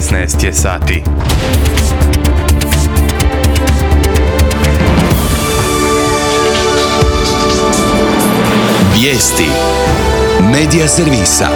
16 je sati. Vijesti Medija servisa.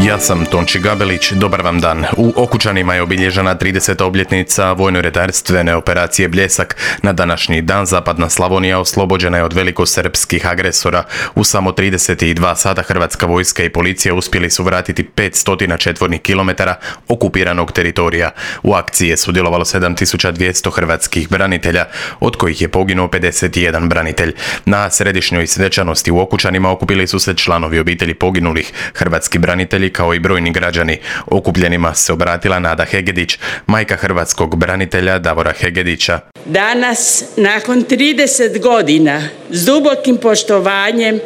Ja sam Tonči Gabelić, dobar vam dan. U Okučanima je obilježena 30. obljetnica vojno-redarstvene operacije Bljesak. Na današnji dan zapadna Slavonija oslobođena je od velikosrpskih agresora. U samo 32 sata Hrvatska vojska i policija uspjeli su vratiti 500 četvornih kilometara okupiranog teritorija. U akciji je sudjelovalo 7200 hrvatskih branitelja, od kojih je poginuo 51 branitelj. Na središnjoj svečanosti u Okučanima okupili su se članovi obitelji poginulih, hrvatski branitelji kao i brojni građani. Okupljenima se obratila Nada Hegedić, majka hrvatskog branitelja Davora Hegedića. Danas, nakon 30 godina, s dubokim poštovanjem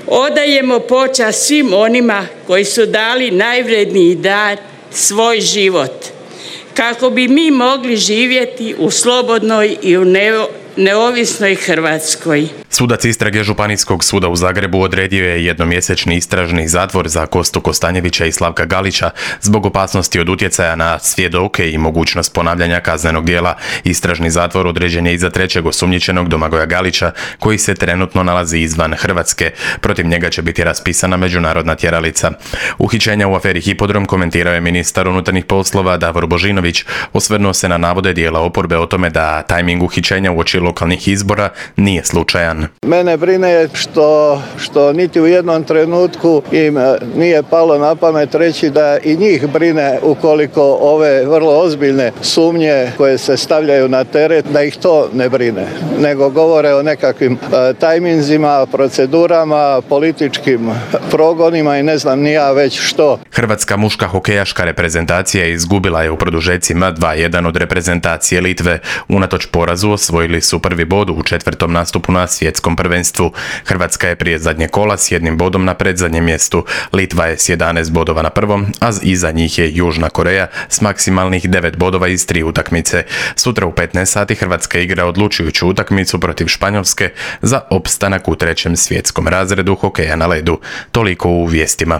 odajemo počast svim onima koji su dali najvredniji dar, svoj život, kako bi mi mogli živjeti u slobodnoj i u neovisnoj Hrvatskoj. Sudac istrage Županijskog suda u Zagrebu odredio je jednomjesečni istražni zatvor za Kostu Kostanjevića i Slavka Galića zbog opasnosti od utjecaja na svjedoke i mogućnost ponavljanja kaznenog djela. Istražni zatvor određen je i za trećeg osumnjičenog Domagoja Galića, koji se trenutno nalazi izvan Hrvatske. Protiv njega će biti raspisana međunarodna tjeralica. Uhićenja u aferi Hipodrom komentirao je ministar unutarnjih poslova Davor Božinović. Osvrnuo se na navode dijela oporbe o tome da tajming uhićenja uoči lokalnih izbora nije slučajan. Mene brine što niti u jednom trenutku im nije palo na pamet reći da i njih brine ukoliko ove vrlo ozbiljne sumnje koje se stavljaju na teret, da ih to ne brine, nego govore o nekakvim tajminzima, procedurama, političkim progonima i ne znam ni ja već što. Hrvatska muška hokejaška reprezentacija izgubila je u produžecima 2:1 od reprezentacije Litve. Unatoč porazu osvojili su prvi bod u četvrtom nastupu na svjetskom prvenstvu. Hrvatska je prije zadnje kola s jednim bodom na predzadnjem mjestu. Litva je s 11 bodova na prvom, a iza njih je Južna Koreja s maksimalnih 9 bodova iz 3 utakmice. Sutra u 15 sati Hrvatska igra odlučujuću utakmicu protiv Španjolske za opstanak u trećem svjetskom razredu hokeja na ledu. Toliko u vijestima.